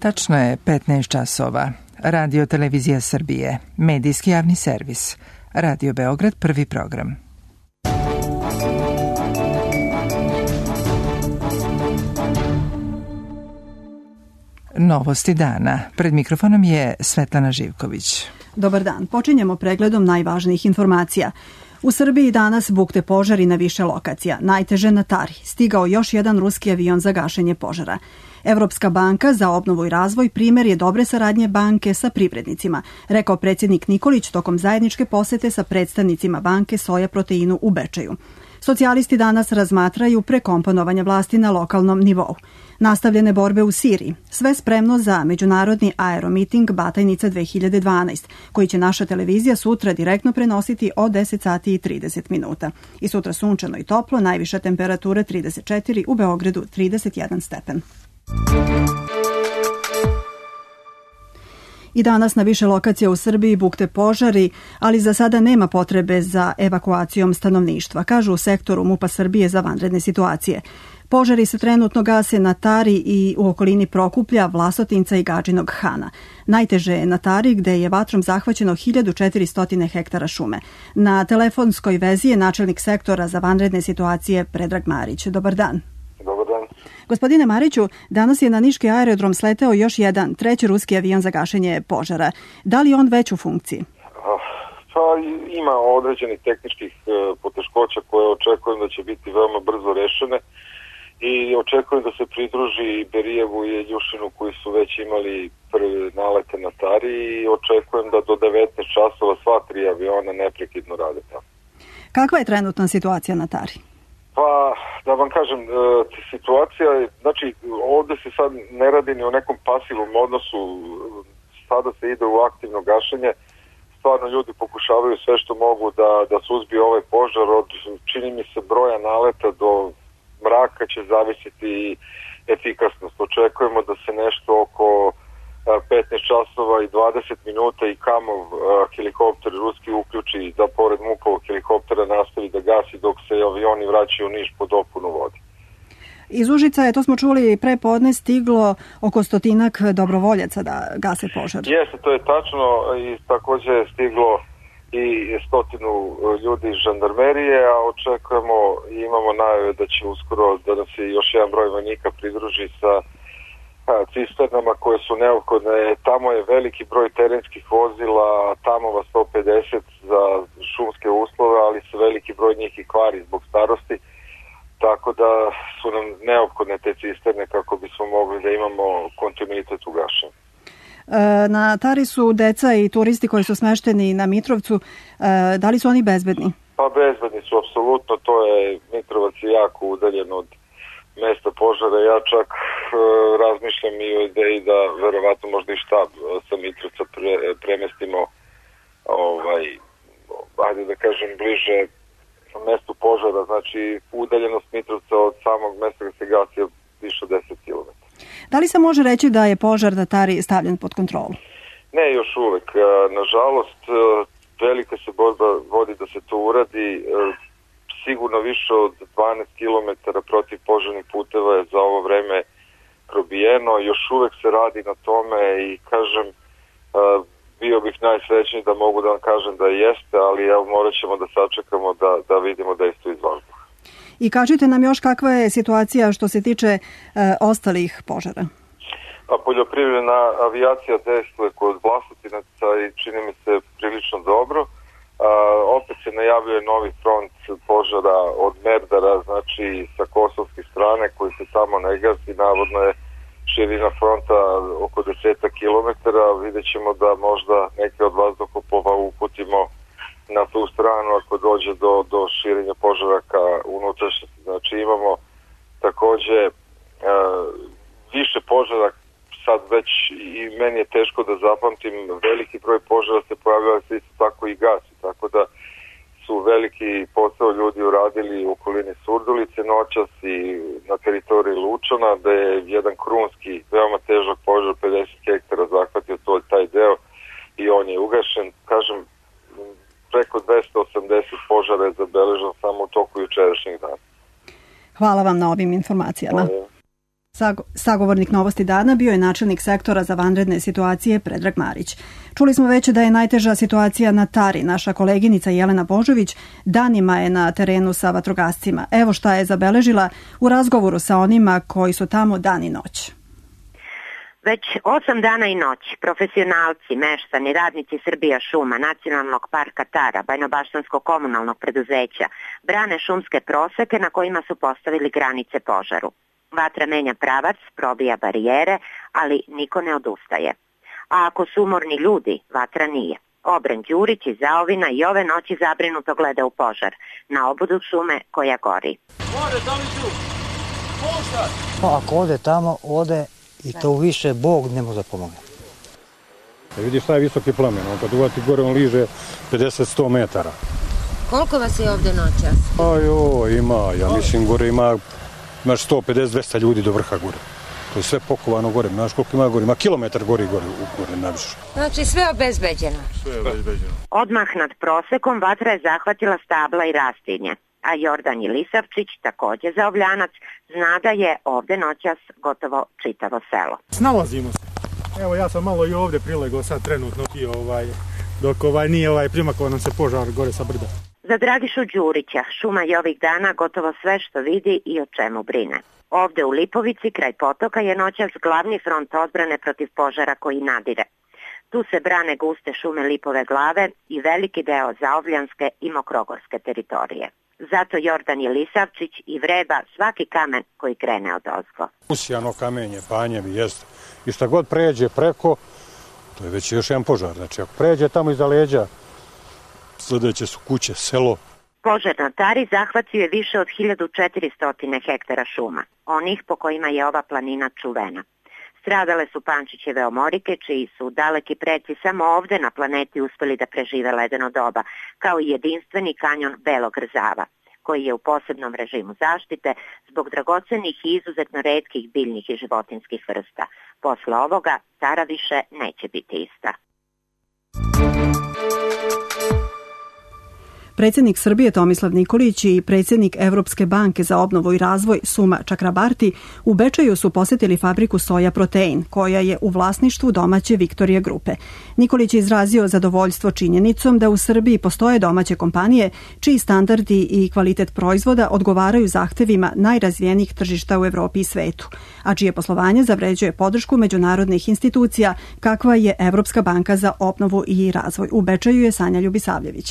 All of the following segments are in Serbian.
Tačno je 15 časova. Radio Televizija Srbije, medijski javni servis. Radio Beograd, prvi program. Novosti dana. Pred mikrofonom je Svetlana Živković. Dobar dan. Počinjemo pregledom najvažnijih informacija. U Srbiji danas bukte požari na više lokacija. Najteže na Tari. Stigao još jedan ruski avion za gašenje požara. Evropska banka za obnovu i razvoj primer je dobre saradnje banke sa privrednicima, rekao predsjednik Nikolić tokom zajedničke posete sa predstavnicima banke Soja Proteinu u Bečeju. Socijalisti danas razmatraju prekomponovanje vlasti na lokalnom nivou. Nastavljene borbe u Siriji. Sve spremno za međunarodni aeromiting Batajnica 2012, koji će naša televizija sutra direktno prenositi od 10 sati i 30 minuta. I sutra sunčano i toplo, najviša temperatura 34, u Beogradu 31 stepen. I danas na više lokacija u Srbiji bukte požari, ali za sada nema potrebe za evakuacijom stanovništva, kažu u sektoru MUP-a Srbije za vanredne situacije. Požari se trenutno gase na Tari i u okolini Prokuplja, Vlasotinca i Gadžinog Hana. Najteže je na Tari gde je vatrom zahvaćeno 1400 hektara šume. Na telefonskoj vezi je načelnik sektora za vanredne situacije Predrag Marić. Dobar dan. Dobar dan. Gospodine Mariću, danas je na niški aerodrom sleteo još jedan, treći ruski avion za gašenje požara. Da li je on već u funkciji? Pa ima određenih tehničkih poteškoća koje očekujem da će biti veoma brzo rešene i očekujem da se pridruži i Berijevu i Ljušinu koji su već imali prve nalete na Tari i očekujem da do 19 časova sva tri aviona neprekidno rade tamo. Kakva je trenutna situacija na Tari? Pa, da vam kažem, situacija je, znači, ovdje se sad ne radi ni o nekom pasivnom odnosu, sada se ide u aktivno gašenje, stvarno ljudi pokušavaju sve što mogu da suzbiju ovaj požar, od, čini mi se, broja naleta do mraka će zavisiti i efikasnost. Očekujemo da se nešto oko 15 časova i 20 minuta i Kamov helikopter ruski uključi da pored MUP-ovog helikoptera nastavi da gasi dok se avioni vraćaju u Niš po dopunu vode. Iz Užica je, to smo čuli pre podne, stiglo oko 100 dobrovoljaca da gase požar. Jeste, to je tačno i također je stiglo i 100 ljudi iz žandarmerije, a očekujemo i imamo najave da će uskoro da nam se još jedan broj vojnika pridruži sa cisternama koje su neophodne. Tamo je veliki broj terenskih vozila, tamova 150 za šumske uslove, ali se veliki broj njih i kvari zbog starosti, tako da su nam neophodne te cisterne kako bismo mogli da imamo kontinuitet u gašenju. Na Tari su deca i turisti koji su smešteni na Mitrovcu. Da li su oni bezbedni? Pa bezbedni su, apsolutno. To je, Mitrovac je jako udaljen od mesta požara. Ja čak razmišljam i o ideji da verovatno možda i štab sa Mitrovca premestimo ajde da kažem bliže mestu požara. Znači udaljenost Mitrovca od samog mesta gde se gasi je više od 10 km. Da li se može reći da je požar na Tari stavljen pod kontrolu? Ne, još uvek. Nažalost, velika se borba vodi da se to uradi. Sigurno više od 12 km protiv požarnih puteva je za ovo vreme probijeno. Još uvek se radi na tome i kažem, bio bih najsrećniji da mogu da vam kažem da jeste, ali evo morat ćemo da sačekamo da vidimo dejstvo iz vazduha. I kažite nam još kakva je situacija što se tiče ostalih požara? A poljoprivredna avijacija dejstvuje kod Vlasotinaca i čini mi se prilično dobro. Opet se najavljuje novi front požara od Merdara, znači sa kosovske strane koji se tamo ne gasi. Navodno je širina fronta oko 10 km. Vidjet ćemo da možda neke od vazduhoplova uputimo na tu stranu ako dođe do širenja požara ka unutrašnjosti. Znači imamo takođe više požara, sad već i meni je teško da zapamtim, veliki broj požara se pojavljava se isto tako i gasi, tako da su veliki posao ljudi uradili u okolini Surdulice noćas i na teritoriji Lučana, da je jedan krunski, veoma težak požar 50 hektara zahvatio taj deo i on je ugašen. Kažem, preko 280 požara je zabeleženo samo u toku jučerašnjih dana. Hvala vam na ovim informacijama. Sagovornik Novosti dana bio je načelnik sektora za vanredne situacije Predrag Marić. Čuli smo već da je najteža situacija na Tari. Naša koleginica Jelena Božović danima je na terenu sa vatrogascima. Evo šta je zabeležila u razgovoru sa onima koji su tamo dan i noć. Već 8 dana i noć profesionalci, meštani, radnici Srbija šuma, Nacionalnog parka Tara, Bajnobaštanskog komunalnog preduzeća brane šumske proseke na kojima su postavili granice požaru. Vatra menja pravac, probija barijere, ali niko ne odustaje. A ako su umorni ljudi, vatra nije. Obren Đurić iz Zaovina i ove noći zabrinuto gleda u požar, na obodu šume koja gori. Pa ako ode tamo, ode i to više Bog ne može da pomogne. Vidiš šta je visoki plamen, kad uvati gore on liže 50-100 metara. Koliko vas je ovde noćas? Ima, ja mislim gore imaš 150-200 ljudi do vrha gore. To je sve pokovano gore, znaš koliko ima gore, ima kilometar gore najviše. Znači sve obezbeđeno? Sve obezbeđeno. Odmah nad prosekom vatra je zahvatila stabla i rastinje, a Jordan Jelisavčić, takođe zaovljanac, zna da je ovde noćas gotovo čitavo selo. Snalazimo se. Evo ja sam malo i ovde prilegao sad trenutno dok nije primakao nam se požar gore sa brda. Za Dragišu Đurića šuma je ovih dana gotovo sve što vidi i o čemu brine. Ovde u Lipovici, kraj potoka, je noćas glavni front odbrane protiv požara koji nadire. Tu se brane guste šume Lipove glave i veliki deo zaovljanske i mokrogorske teritorije. Zato Jordan Jelisavčić i vreba svaki kamen koji krene od ozgo. Usijano kamenje, panjevi, jeste. I šta god pređe preko, to je već još jedan požar. Znači, ako pređe tamo iza leđa, sljedeće su kuće, selo. Požar na Tari zahvatio je više od 1400 hektara šuma, onih po kojima je ova planina čuvena. Stradale su Pančićeve omorike, čiji su daleki preci samo ovde na planeti uspeli da prežive ledeno doba, kao i jedinstveni kanjon Belog Rzava, koji je u posebnom režimu zaštite zbog dragocenih i izuzetno retkih biljnih i životinskih vrsta. Posle ovoga Tara više neće biti ista. Predsjednik Srbije Tomislav Nikolić i predsjednik Evropske banke za obnovu i razvoj Suma Čakrabarti u Bečeju su posjetili fabriku Soja Protein, koja je u vlasništvu domaće Viktorija grupe. Nikolić je izrazio zadovoljstvo činjenicom da u Srbiji postoje domaće kompanije čiji standardi i kvalitet proizvoda odgovaraju zahtevima najrazvijenijih tržišta u Evropi i svetu, a čije poslovanje zavređuje podršku međunarodnih institucija kakva je Evropska banka za obnovu i razvoj. U Bečeju je Sanja Ljubisavljević.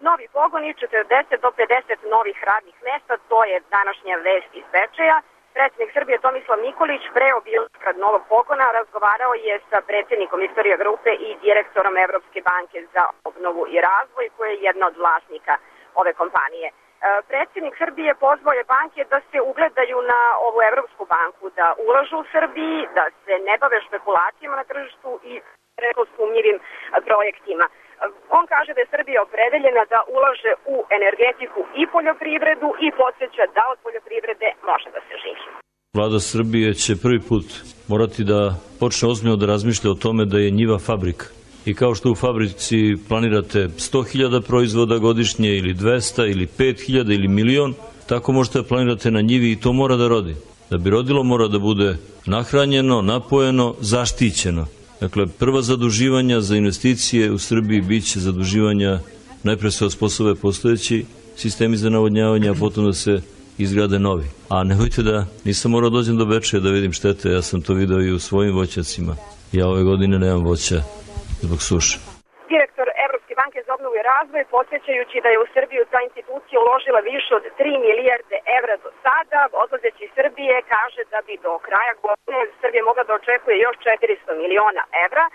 Novi pogoni, 40 do 50 novih radnih mesta, to je današnja vest iz Bečeja. Predsjednik Srbije Tomislav Nikolić pre obilaska novog pogona razgovarao je sa predsjednikom Viktorija grupe i direktorom Evropske banke za obnovu i razvoj, koja je jedna od vlasnika ove kompanije. Predsjednik Srbije pozvao je banke da se ugledaju na ovu Evropsku banku, da ulažu u Srbiji, da se ne bave špekulacijama na tržištu i sumnjivim projektima. On kaže da je Srbija opredeljena da ulaže u energetiku i poljoprivredu i podsjeća da od poljoprivrede može da se živi. Vlada Srbije će prvi put morati da počne ozbiljno da razmišlja o tome da je njiva fabrika. I kao što u fabrici planirate 100.000 proizvoda godišnje ili 200 ili 5.000 ili milion, tako možete da planirate na njivi i to mora da rodi. Da bi rodilo mora da bude nahranjeno, napojeno, zaštićeno. Dakle, prva zaduživanja za investicije u Srbiji bit će zaduživanja najpre se osposobe postojeći sistemi za navodnjavanje, a potom da se izgrade novi. A nemojte da nisam morao dođem do Bečeja da vidim štete, ja sam to video i u svojim voćacima. Ja ove godine nemam voća zbog suše. Direktor Evropske banke za obnovu i razvoj, podsjećajući da je u Srbiju ta institucija uložila više od 3 milijarde evra do sada, odlazeći iz Srbije kaže da bi do kraja godine Srbija mogla da očekuje još 400 miliona evra,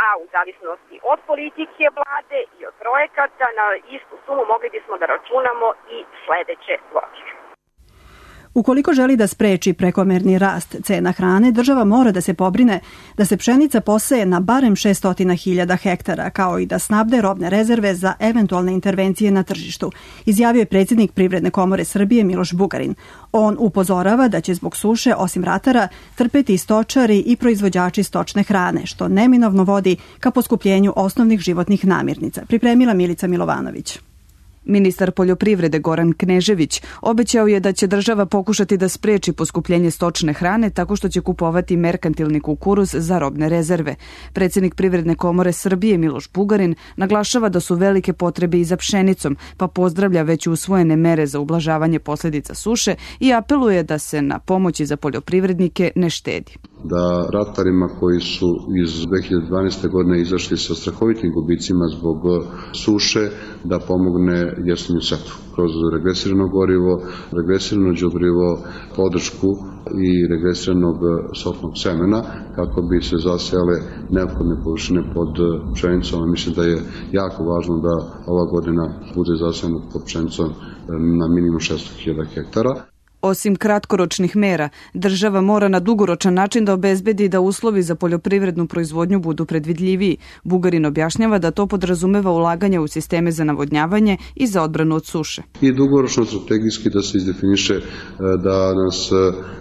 a u zavisnosti od politike vlade i od projekata na istu sumu mogli bismo da računamo i sledeće godine. Ukoliko želi da spreči prekomerni rast cena hrane, država mora da se pobrine da se pšenica poseje na barem 600.000 hektara, kao i da snabde robne rezerve za eventualne intervencije na tržištu, izjavio je predsjednik Privredne komore Srbije Miloš Bugarin. On upozorava da će zbog suše, osim ratara, trpeti stočari i proizvođači stočne hrane, što neminovno vodi ka poskupljenju osnovnih životnih namirnica, pripremila Milica Milovanović. Ministar poljoprivrede Goran Knežević obećao je da će država pokušati da spreči poskupljenje stočne hrane tako što će kupovati merkantilni kukuruz za robne rezerve. Predsjednik Privredne komore Srbije Miloš Bugarin naglašava da su velike potrebe i za pšenicom, pa pozdravlja već usvojene mere za ublažavanje posljedica suše i apeluje da se na pomoći za poljoprivrednike ne štedi. Da ratarima koji su iz 2012. godine izašli sa strahovitim gubicima zbog suše, da pomogne jesenju setvu kroz regresirano gorivo, regresirano đubrivo, podršku i regresiranog sortnog semena kako bi se zasejale neophodne površine pod pšenicom. Mislim da je jako važno da ova godina bude zasejana pod pšenicom na minimum 600.000 hektara. Osim kratkoročnih mera, država mora na dugoročan način da obezbedi da uslovi za poljoprivrednu proizvodnju budu predvidljiviji. Bugarin objašnjava da to podrazumeva ulaganje u sisteme za navodnjavanje i za odbranu od suše. I dugoročno strategijski da se izdefiniše da nas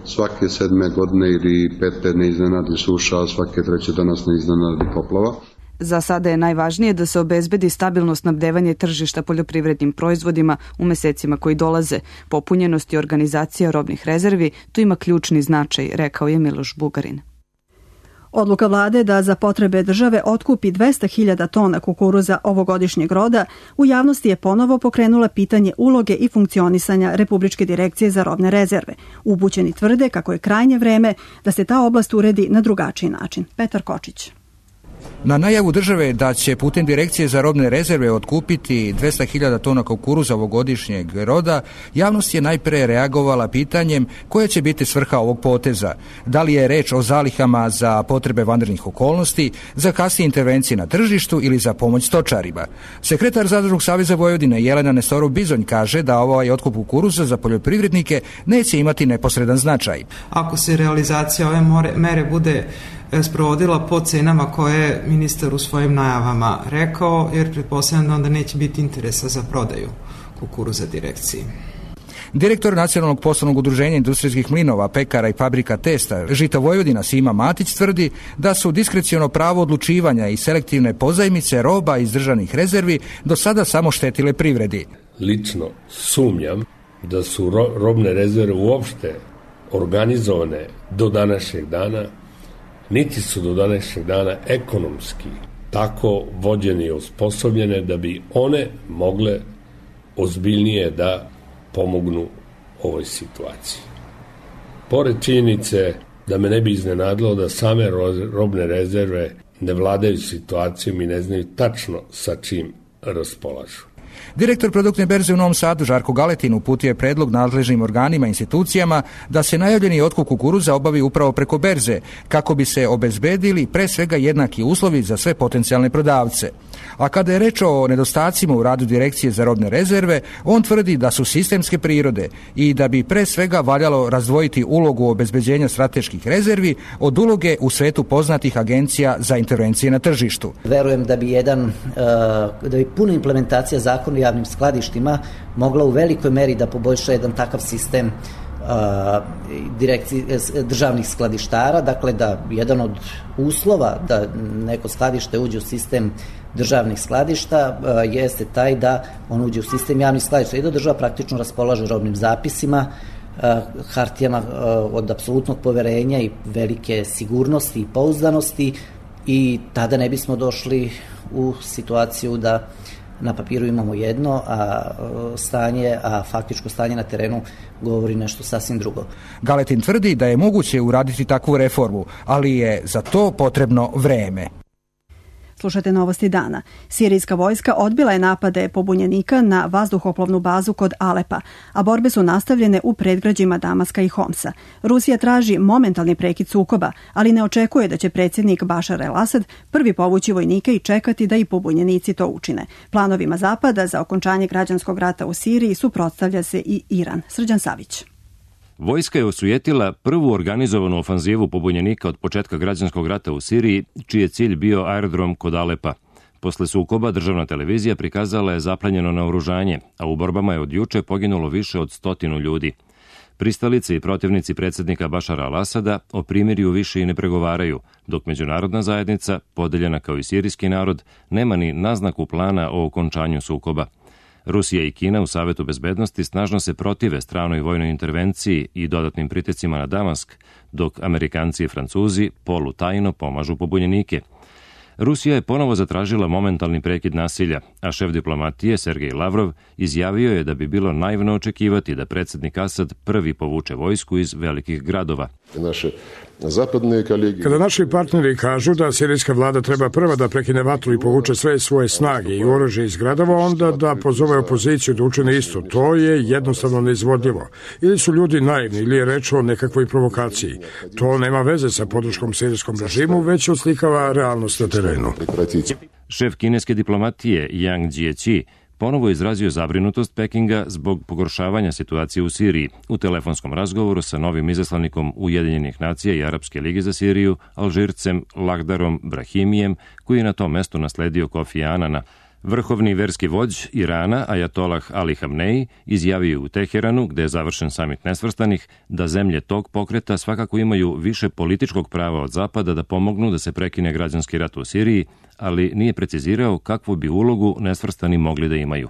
svake 7. godine ili 5. ne iznenadi suša, a svake 3. da nas ne iznenadi poplava. Za sada je najvažnije da se obezbedi stabilno snabdevanje tržišta poljoprivrednim proizvodima u mesecima koji dolaze. Popunjenost i organizacija robnih rezervi tu ima ključni značaj, rekao je Miloš Bugarin. Odluka vlade da za potrebe države otkupi 200.000 tona kukuruza ovogodišnjeg roda u javnosti je ponovo pokrenula pitanje uloge i funkcionisanja Republičke direkcije za robne rezerve. Upućeni tvrde kako je krajnje vreme da se ta oblast uredi na drugačiji način. Petar Kočić. Na najavu države da će putem Direkcije za robne rezerve otkupiti 200.000 tona kukuruza ovogodišnjeg roda, javnost je najpre reagovala pitanjem koja će biti svrha ovog poteza. Da li je reč o zalihama za potrebe vanrednih okolnosti, za kasnije intervencije na tržištu ili za pomoć stočarima. Sekretar Zadružnog saveza Vojvodine Jelena Nestorov-Bizonj kaže da ovaj otkup kukuruza za poljoprivrednike neće imati neposredan značaj. Ako se realizacija ove mere bude sprovodila po cenama koje je ministar u svojim najavama rekao, jer pretpostavljam da onda neće biti interesa za prodaju kukuruza direkciji. Direktor Nacionalnog poslovnog udruženja industrijskih mlinova, pekara i fabrika testa Žito Vojvodina Sima Matić tvrdi da su diskreciono pravo odlučivanja i selektivne pozajmice roba iz državnih rezervi do sada samo štetile privredi. Lično sumnjam da su robne rezerve uopšte organizovane do današnjeg dana, niti su do današnjeg dana ekonomski tako vođene i osposobljene da bi one mogle ozbiljnije da pomognu ovoj situaciji. Pored činjenice da me ne bi iznenadilo da same robne rezerve ne vladaju situacijom i ne znaju tačno sa čim raspolažu. Direktor produktne berze u Novom Sadu Žarko Galetin uputio je predlog nadležnim organima i institucijama da se najavljeni otkup kukuruza obavi upravo preko berze, kako bi se obezbedili pre svega jednaki uslovi za sve potencijalne prodavce. A kada je reč o nedostacima u radu Direkcije za robne rezerve, on tvrdi da su sistemske prirode i da bi pre svega valjalo razdvojiti ulogu obezbeđenja strateških rezervi od uloge u svetu poznatih agencija za intervencije na tržištu. Verujem da bi puna implementacija zakona o javnim skladištima mogla u velikoj meri da poboljša jedan takav sistem državnih skladištara, dakle da jedan od uslova da neko skladište uđe u sistem državnih skladišta jeste taj da on uđe u sistem javnih skladišta i da država praktično raspolaže robnim zapisima, hartijama od apsolutnog poverenja i velike sigurnosti i pouzdanosti, i tada ne bismo došli u situaciju da na papiru imamo jedno, a faktičko stanje na terenu govori nešto sasvim drugo. Galetin tvrdi da je moguće uraditi takvu reformu, ali je za to potrebno vreme. Slušajte novosti dana. Sirijska vojska odbila je napade pobunjenika na vazduhoplovnu bazu kod Alepa, a borbe su nastavljene u predgrađima Damaska i Homsa. Rusija traži momentalni prekid sukoba, ali ne očekuje da će predsjednik Bašar el-Asad prvi povući vojnike i čekati da i pobunjenici to učine. Planovima Zapada za okončanje građanskog rata u Siriji suprotstavlja se i Iran. Srđan Savić. Vojska je osujetila prvu organizovanu ofanzivu pobunjenika od početka građanskog rata u Siriji, čiji je cilj bio aerodrom kod Alepa. Posle sukoba državna televizija prikazala je zaplenjeno naoružanje, a u borbama je od juče poginulo više od 100 ljudi. Pristalice i protivnici predsjednika Bašara al-Asada o primirju više i ne pregovaraju, dok međunarodna zajednica, podeljena kao i sirijski narod, nema ni naznaku plana o okončanju sukoba. Rusija i Kina u Savetu bezbednosti snažno se protive stranoj vojnoj intervenciji i dodatnim pritiscima na Damask, dok Amerikanci i Francuzi polutajno pomažu pobunjenike. Rusija je ponovo zatražila momentalni prekid nasilja, a šef diplomatije Sergej Lavrov izjavio je da bi bilo naivno očekivati da predsjednik Asad prvi povuče vojsku iz velikih gradova. Kada naši partneri kažu da sirijska vlada treba prva da prekine vatru i povuče sve svoje snage i oružje iz gradova, onda da pozove opoziciju da učine isto. To je jednostavno neizvodljivo. Ili su ljudi naivni, ili je reč o nekakvoj provokaciji. To nema veze sa podrškom sirijskom režimu, već oslikava realnost na terenu. Šef kineske diplomatije Yang Jiechi ponovo izrazio zabrinutost Pekinga zbog pogoršavanja situacije u Siriji u telefonskom razgovoru sa novim izaslanikom Ujedinjenih nacija i Arapske lige za Siriju, Alžircem Lagdarom Brahimijem, koji je na tom mestu nasledio Kofi Anana. Vrhovni verski vođ Irana, Ajatolah Ali Hamnej, izjavio u Teheranu, gde je završen samit nesvrstanih, da zemlje tog pokreta svakako imaju više političkog prava od Zapada da pomognu da se prekine građanski rat u Siriji, ali nije precizirao kakvu bi ulogu nesvrstani mogli da imaju.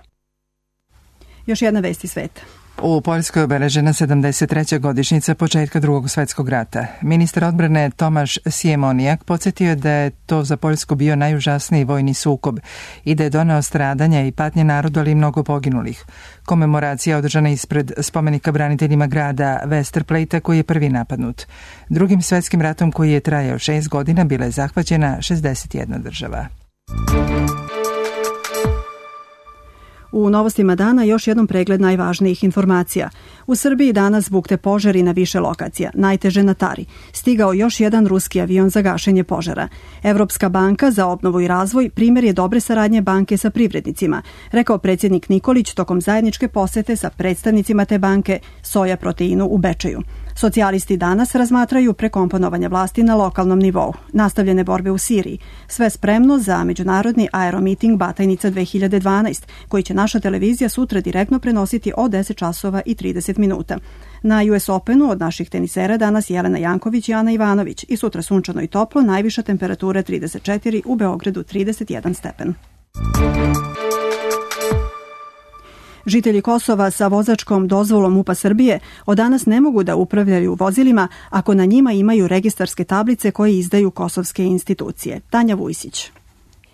Još jedna vest iz sveta. U Poljskoj obeležena 73. godišnjica početka Drugog svjetskog rata. Ministar odbrane Tomaš Siemonijak podsjetio je da je to za Poljsku bio najužasniji vojni sukob i da je doneo stradanja i patnje narodu, ali i mnogo poginulih. Komemoracija održana ispred spomenika braniteljima grada Westerplatea koji je prvi napadnut. Drugim svjetskim ratom koji je trajao 6 godina bila je zahvaćena 61 država. U novostima dana još jednom pregled najvažnijih informacija. U Srbiji danas bukte požari na više lokacija, najteže na Tari. Stigao još jedan ruski avion za gašenje požara. Evropska banka za obnovu i razvoj primjer je dobre saradnje banke sa privrednicima, rekao predsjednik Nikolić tokom zajedničke posete sa predstavnicima te banke Soja Proteinu u Bečeju. Socijalisti danas razmatraju prekomponovanje vlasti na lokalnom nivou, nastavljene borbe u Siriji, sve spremno za međunarodni aeromiting Batajnica 2012, koji će naša televizija sutra direktno prenositi od 10 časova i 30 minuta. Na US Openu od naših tenisera danas Jelena Janković i Ana Ivanović i sutra sunčano i toplo, najviša temperatura 34, u Beogradu 31 stepen. Žitelji Kosova sa vozačkom dozvolom MUP-a Srbije od danas ne mogu da upravljaju vozilima ako na njima imaju registarske tablice koje izdaju kosovske institucije. Tanja Vujsić.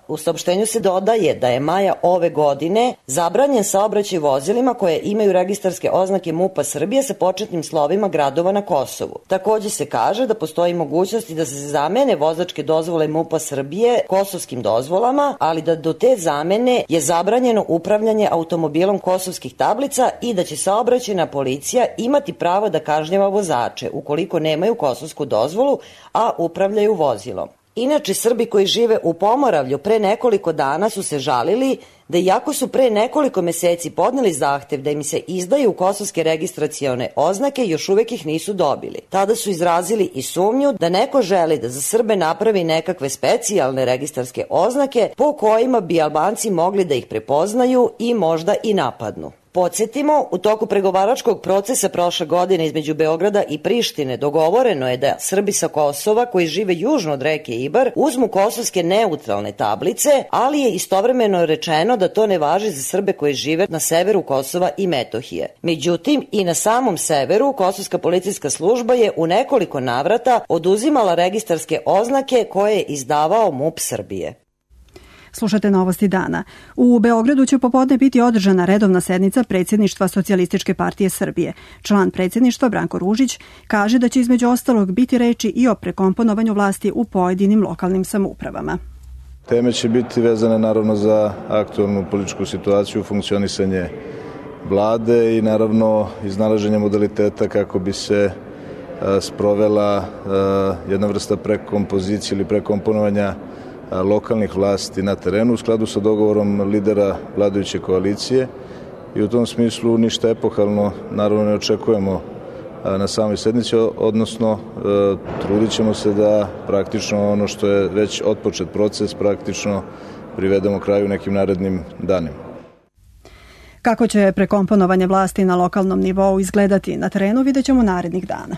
U saopštenju se dodaje da je maja ove godine zabranjen saobraćaj vozilima koje imaju registarske oznake MUP-a Srbije sa početnim slovima gradova na Kosovu. Takođe se kaže da postoji mogućnosti da se zamene vozačke dozvole MUP-a Srbije kosovskim dozvolama, ali da do te zamene je zabranjeno upravljanje automobilom kosovskih tablica i da će saobraćajna policija imati pravo da kažnjava vozače ukoliko nemaju kosovsku dozvolu, a upravljaju vozilom. Inače, Srbi koji žive u Pomoravlju pre nekoliko dana su se žalili da iako su pre nekoliko meseci podneli zahtev da im se izdaju kosovske registracione oznake, još uvek ih nisu dobili. Tada su izrazili i sumnju da neko želi da za Srbe napravi nekakve specijalne registarske oznake po kojima bi Albanci mogli da ih prepoznaju i možda i napadnu. Podsjetimo, u toku pregovaračkog procesa prošle godine između Beograda i Prištine dogovoreno je da Srbi sa Kosova koji žive južno od reke Ibar uzmu kosovske neutralne tablice, ali je istovremeno rečeno da to ne važi za Srbe koji žive na severu Kosova i Metohije. Međutim, i na samom severu kosovska policijska služba je u nekoliko navrata oduzimala registarske oznake koje je izdavao MUP Srbije. Slušate novosti dana. U Beogradu će popodne biti održana redovna sednica predsjedništva Socijalističke partije Srbije. Član predsjedništva Branko Ružić kaže da će između ostalog biti reči i o prekomponovanju vlasti u pojedinim lokalnim samoupravama. Teme će biti vezane naravno za aktualnu političku situaciju, funkcionisanje vlade i naravno iznalaženje modaliteta kako bi se sprovela jedna vrsta prekompozicije ili prekomponovanja lokalnih vlasti na terenu u skladu sa dogovorom lidera vladajuće koalicije i u tom smislu ništa epohalno naravno ne očekujemo na samoj sednici, odnosno trudit ćemo se da praktično ono što je već otpočet proces praktično privedemo kraju nekim narednim danima. Kako će prekomponovanje vlasti na lokalnom nivou izgledati na terenu vidjet ćemo narednih dana.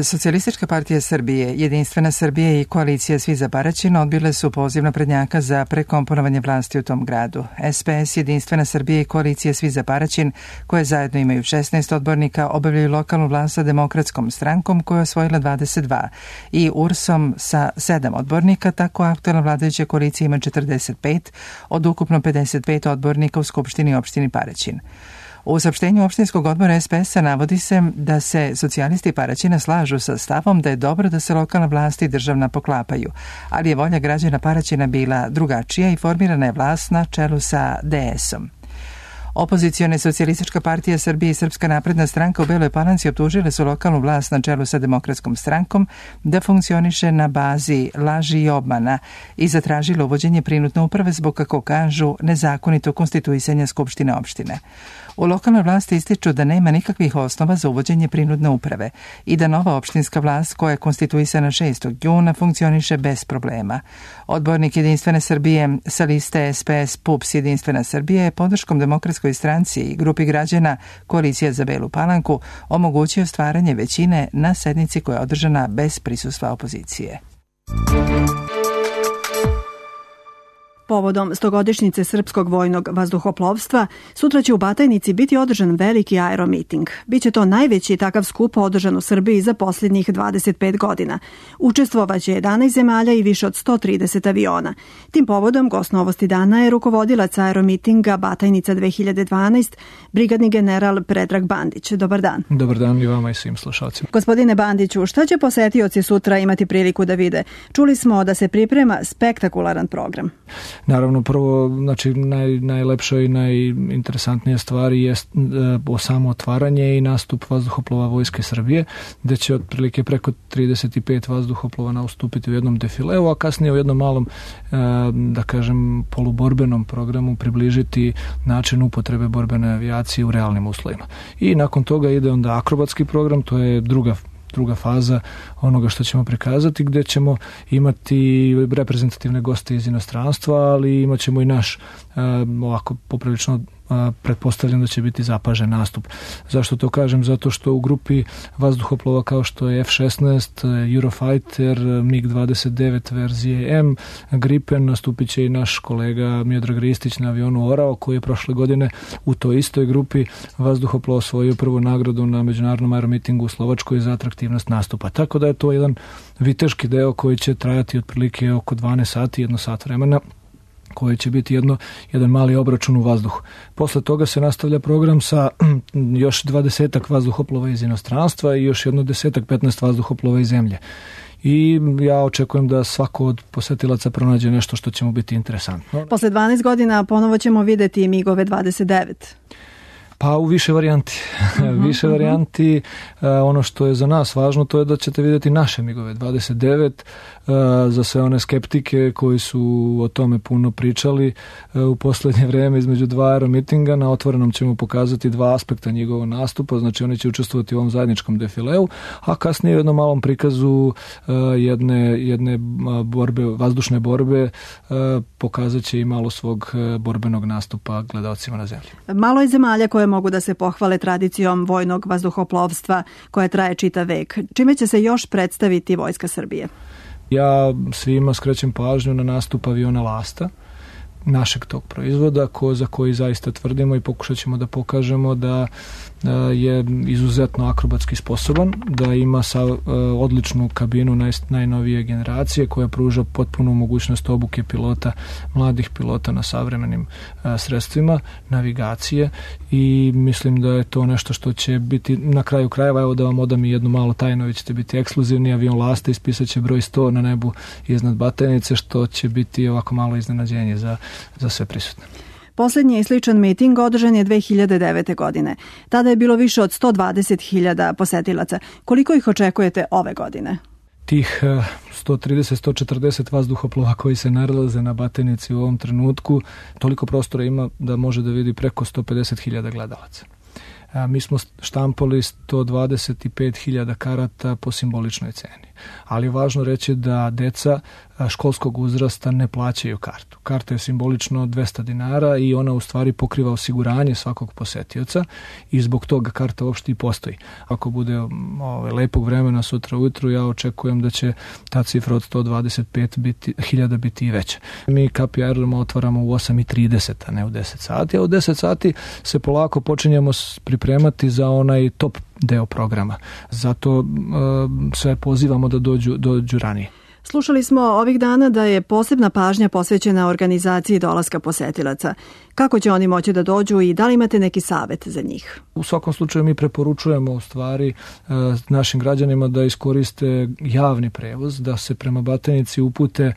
Socijalistička partija Srbije, Jedinstvena Srbija i koalicija Svi za Paraćin odbile su poziv naprednjaka za prekomponovanje vlasti u tom gradu. SPS, Jedinstvena Srbija i koalicija Svi za Paraćin, koje zajedno imaju 16 odbornika, obavljaju lokalnu vlast sa Demokratskom strankom koja je osvojila 22 i URS-om sa 7 odbornika, tako aktualna vladajuća koalicija ima 45 od ukupno 55 odbornika u Skupštini opštini Paraćin. U saopštenju opštinskog odbora SPS-a navodi se da se socijalisti Paraćina slažu sa stavom da je dobro da se lokalna vlast i državna poklapaju, ali je volja građana Paraćina bila drugačija i formirana je vlast na čelu sa DS-om. Opozicione Socijalistička partija Srbije i Srpska napredna stranka u Beloj Palanci optužile su lokalnu vlast na čelu sa Demokratskom strankom da funkcioniše na bazi laži i obmana i zatražile uvođenje prinudne uprave zbog, kako kažu, nezakonito konstituisanja Skupštine opštine. U lokalnoj vlasti ističu da nema nikakvih osnova za uvođenje prinudne uprave i da nova opštinska vlast koja je konstituisana 6. juna funkcioniše bez problema. Odbornik Jedinstvene Srbije sa liste SPS PUPS Jedinstvena Srbija je podrškom Demokratskoj stranci i grupi građana Koalicija za Belu Palanku omogućio stvaranje većine na sednici koja je održana bez prisustva opozicije. Povodom 100-godišnjice srpskog vojnog vazduhoplovstva, sutra će u Batajnici biti održan veliki aeromiting. Biće to najveći takav skup održan u Srbiji za posljednjih 25 godina. Učestvovaće 11 zemalja i više od 130 aviona. Tim povodom gost Novosti dana je rukovodilac aeromitinga Batajnica 2012, brigadni general Predrag Bandić. Dobar dan. Dobar dan i vama i svim slušalcima. Gospodine Bandiću, šta će posetioci sutra imati priliku da vide? Čuli smo da se priprema spektakularan program. Naravno, prvo, znači, najlepša i najinteresantnija stvari je samo otvaranje i nastup vazduhoplova Vojske Srbije, gde će otprilike preko 35 vazduhoplova nastupiti u jednom defileu, a kasnije u jednom malom, da kažem, poluborbenom programu približiti način upotrebe borbene avijacije u realnim uslovima. I nakon toga ide onda akrobatski program, to je druga faza onoga što ćemo prikazati, gdje ćemo imati reprezentativne goste iz inostranstva, ali imat ćemo i naš ovako poprilično pretpostavljam da će biti zapažen nastup. Zašto to kažem? Zato što u grupi vazduhoplova kao što je F-16, Eurofighter, MiG-29 verzije M, Gripen, nastupit će i naš kolega Miodrag Ristić na avionu Orao, koji je prošle godine u toj istoj grupi vazduhoplova osvojio prvu nagradu na međunarodnom aeromitingu u Slovačkoj za atraktivnost nastupa. Tako da je to jedan viteški deo koji će trajati otprilike oko 12 sati, 1 sat vremena, koji će biti jedan mali obračun u vazduhu. Posle toga se nastavlja program sa još 20 vazduhoplova iz inostranstva i još jedno 10-15 vazduhoplova iz zemlje. I ja očekujem da svako od posetilaca pronađe nešto što će mu biti interesantno. Posle 12 godina ponovo ćemo videti MiG-ove 29. Pa u više varijanti. Više varijanti. Ono što je za nas važno, to je da ćete vidjeti naše MiG-ove 29. Za sve one skeptike koji su o tome puno pričali u posljednje vrijeme između dva aeromitinga, na otvorenom ćemo pokazati dva aspekta njegovog nastupa, znači oni će učestvovati u ovom zajedničkom defileu, a kasnije u jednom malom prikazu jedne borbe, vazdušne borbe, pokazat će i malo svog borbenog nastupa gledalcima na zemlji. Malo je zemalja koje mogu da se pohvale tradicijom vojnog vazduhoplovstva koja traje čitav vek. Čime će se još predstaviti Vojska Srbije? Ja svima skrećem pažnju na nastup aviona Lasta, našeg tog proizvoda, za koji zaista tvrdimo i pokušat ćemo da pokažemo da je izuzetno akrobatski sposoban, da ima odličnu kabinu najnovije generacije koja pruža potpunu mogućnost obuke pilota, mladih pilota na savremenim sredstvima navigacije, i mislim da je to nešto što će biti na kraju krajeva. Evo da vam odam i jednu malu tajnu, vi ćete biti ekskluzivni avion Lasta, ispisat će broj 100 na nebu iznad Batajnice, što će biti ovako malo iznenađenje za sve prisutne. Posljednji i sličan miting održan je 2009. godine. Tada je bilo više od 120.000 posetilaca. Koliko ih očekujete ove godine? Tih 130-140 vazduhoplova koji se nalaze na Batajnici u ovom trenutku, toliko prostora ima da može da vidi preko 150.000 gledalaca. Mi smo štampali 125.000 karata po simboličnoj ceni. Ali je važno reći da deca školskog uzrasta ne plaćaju kartu. Karta je simbolično 200 dinara i ona u stvari pokriva osiguranje svakog posetioca i zbog toga karta uopšte i postoji. Ako bude lepog vremena sutra ujutru, ja očekujem da će ta cifra od 125.000 biti i veća. Mi Kapi aerodroma otvaramo u 8:30, a ne u 10 sati, a u 10 sati se polako počinjemo pripremati za onaj top deo programa. Zato sve pozivamo da dođu ranije. Slušali smo ovih dana da je posebna pažnja posvećena organizaciji dolaska posetilaca. Kako će oni moći da dođu i da li imate neki savet za njih? U svakom slučaju mi preporučujemo u stvari našim građanima da iskoriste javni prevoz, da se prema Batajnici upute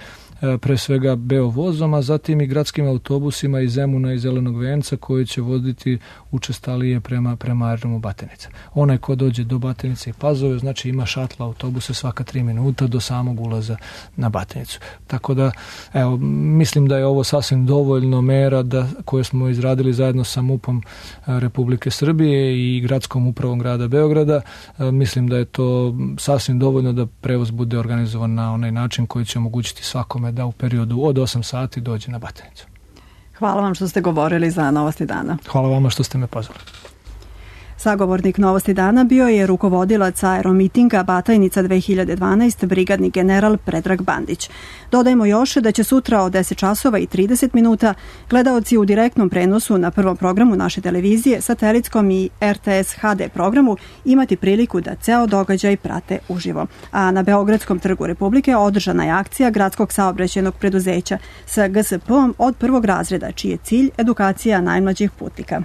pre svega Beovozom, a zatim i gradskim autobusima iz Zemuna i Zelenog venca koji će voditi učestalije prema aerodromu Batajnica. Onaj ko dođe do Batajnice i Pazove, znači ima šatla autobuse svaka 3 minuta do samog ulaza na Batajnicu. Tako da, evo, mislim da je ovo sasvim dovoljno mera koje smo izradili zajedno sa MUP-om Republike Srbije i gradskom upravom grada Beograda. Mislim da je to sasvim dovoljno da prevoz bude organizovan na onaj način koji će omogućiti svakome da u periodu od 8 sati dođe na Batajnicu. Hvala vam što ste govorili za Novosti dana. Hvala vama što ste me pozvali. Sagovornik Novosti dana bio je rukovodilac aeromitinga Batajnica 2012, brigadni general Predrag Bandić. Dodajmo još da će sutra od 10 časova i 30 minuta gledaoci u direktnom prenosu na prvom programu naše televizije, satelitskom i RTS HD programu imati priliku da ceo događaj prate uživo. A na Beogradskom trgu Republike održana je akcija Gradskog saobraćajnog preduzeća sa GSP-om od prvog razreda, čiji je cilj edukacija najmlađih putnika.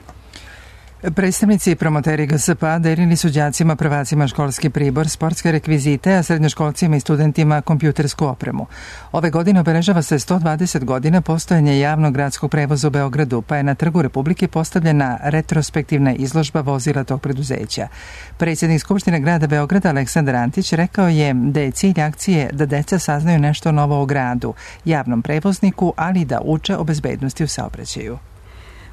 Predstavnici i promoteri GSP-a delili su đacima prvacima školski pribor, sportske rekvizite, a srednjoškolcima i studentima kompjutersku opremu. Ove godine obeležava se 120 godina postojanja javnog gradskog prevoza u Beogradu, pa je na Trgu Republike postavljena retrospektivna izložba vozila tog preduzeća. Predsjednik Skupštine grada Beograda Aleksandar Antić rekao je da je cilj akcije da deca saznaju nešto novo o gradu, javnom prevozniku, ali i da uče o bezbednosti u saobraćaju.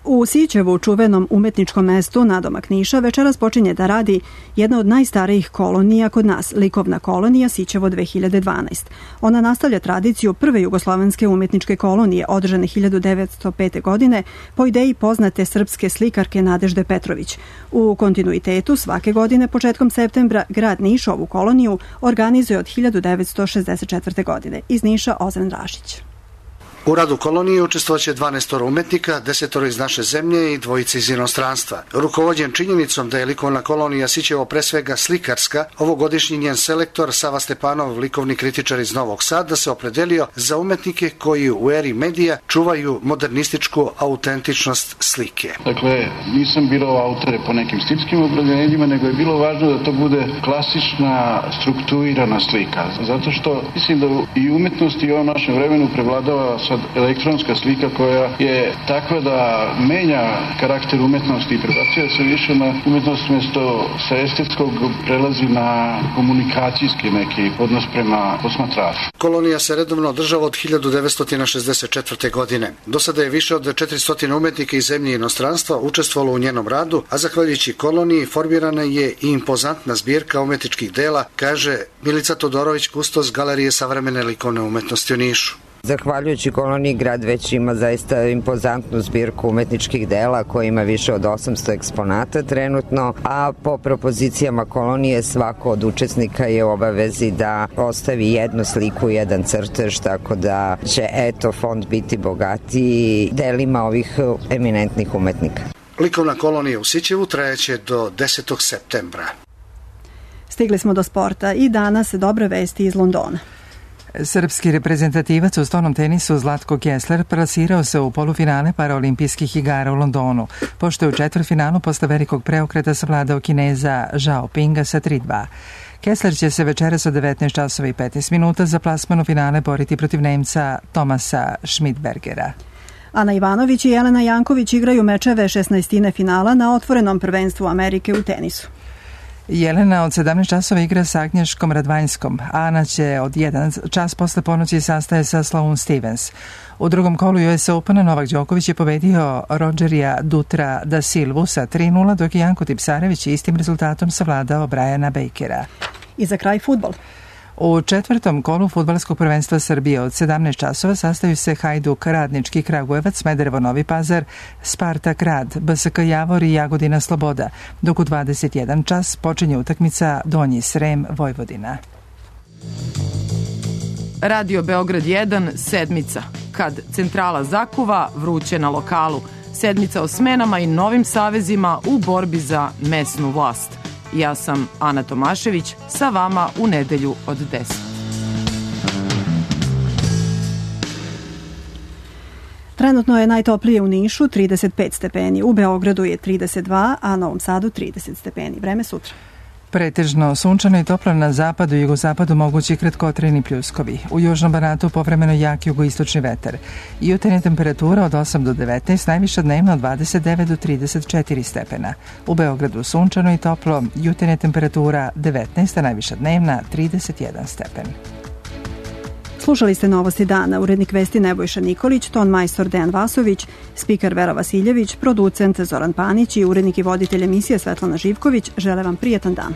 U Sićevu, čuvenom umetničkom mestu nadomak Niša, večeras počinje da radi jedna od najstarijih kolonija kod nas, likovna kolonija Sićevo 2012. Ona nastavlja tradiciju prve jugoslovenske umetničke kolonije, održane 1905. godine, po ideji poznate srpske slikarke Nadežde Petrović. U kontinuitetu svake godine početkom septembra grad Niš ovu koloniju organizuje od 1964. godine. Iz Niša Ozren Rašić. U radu kolonije učestvovaće 12 umetnika, 10 iz naše zemlje i 2 iz inostranstva. Rukovođen činjenicom da je likovna kolonija Sićevo pre svega slikarska, ovogodišnji njen selektor Sava Stepanov, likovni kritičar iz Novog Sada, se opredelio za umetnike koji u eri medija čuvaju modernističku autentičnost slike. Dakle, nisam birao autore po nekim stilskim opredeljenjima, nego je bilo važno da to bude klasična, strukturirana slika. Zato što mislim da i umetnost i u ovom našem vremenu prevladava elektronska slika koja je takva da menja karakter umetnosti i prebacuje se više na umetnost mjesto sa estetskog prelazi na komunikacijski neki odnos prema posmatraču. Kolonija se redovno održava od 1964. godine. Do sada je više od 400 umetnika iz zemlje i inostranstva učestvovalo u njenom radu, a zahvaljujući koloniji formirana je i impozantna zbirka umetničkih dela, kaže Milica Todorović, kustos Galerije savremene likovne umetnosti u Nišu. Zahvaljujući koloniji, grad već ima zaista impozantnu zbirku umetničkih dela koja ima više od 800 eksponata trenutno, a po propozicijama kolonije svako od učesnika je u obavezi da ostavi jednu sliku, jedan crtež, tako da će fond biti bogatiji delima ovih eminentnih umetnika. Likovna kolonija u Sićevu trajaće do 10. septembra. Stigli smo do sporta i danas dobre vesti iz Londona. Srpski reprezentativac u stolnom tenisu Zlatko Kessler plasirao se u polufinale paraolimpijskih igara u Londonu, pošto je u četvrtfinalu posle velikog preokreta savladao Kineza Zhao Pinga sa 3-2. Kessler će se večeras od 19 časova i 15 minuta za plasman u finale boriti protiv Nemca Tomasa Schmidbergera. Ana Ivanović i Jelena Janković igraju mečeve 16. finala na otvorenom prvenstvu Amerike u tenisu. Jelena od 17 časova igra sa Agnješkom Radvanjskom. Ana će od 1 čas posle ponoći sastaje sa Sloane Stevens. U drugom kolu US Opena Novak Đoković je pobedio Rogerija Dutra da Silvu sa 3-0, dok je Janko Tipsarević istim rezultatom savladao Briana Bakera. I za kraj fudbal. U četvrtom kolu fudbalskog prvenstva Srbije od 17 časova sastaju se Hajduk, Radnički Kragujevac, Smederevo Novi Pazar, Spartak Rad, BSK Javor i Jagodina Sloboda, dok u 21 čas počinje utakmica Donji Srem Vojvodina. Radio Beograd 1, sedmica. Kad centrala zakuva, vruće na lokalu. Sedmica o smenama i novim savezima u borbi za mesnu vlast. Ja sam Ana Tomašević, sa vama u nedelju od 10. Trenutno je najtoplije u Nišu 35 stepeni, u Beogradu je 32, a Novom Sadu 30 stepeni. Vreme sutra. Pretežno sunčano i toplo na zapadu i jugozapadu, mogući kratkotrajni pljuskovi. U južnom Banatu povremeno jak jugoistočni vetar. Jutarnja temperatura od 8 do 19, najviša dnevno od 29 do 34 stepena. U Beogradu sunčano i toplo, jutarnja temperatura 19, a najviša dnevna 31 stepen. Slušali ste Novosti dana, urednik vesti Nebojša Nikolić, ton majstor Dejan Vasović, spiker Vera Vasiljević, producent Zoran Panić i urednik i voditelj emisije Svetlana Živković. Žele vam prijetan dan.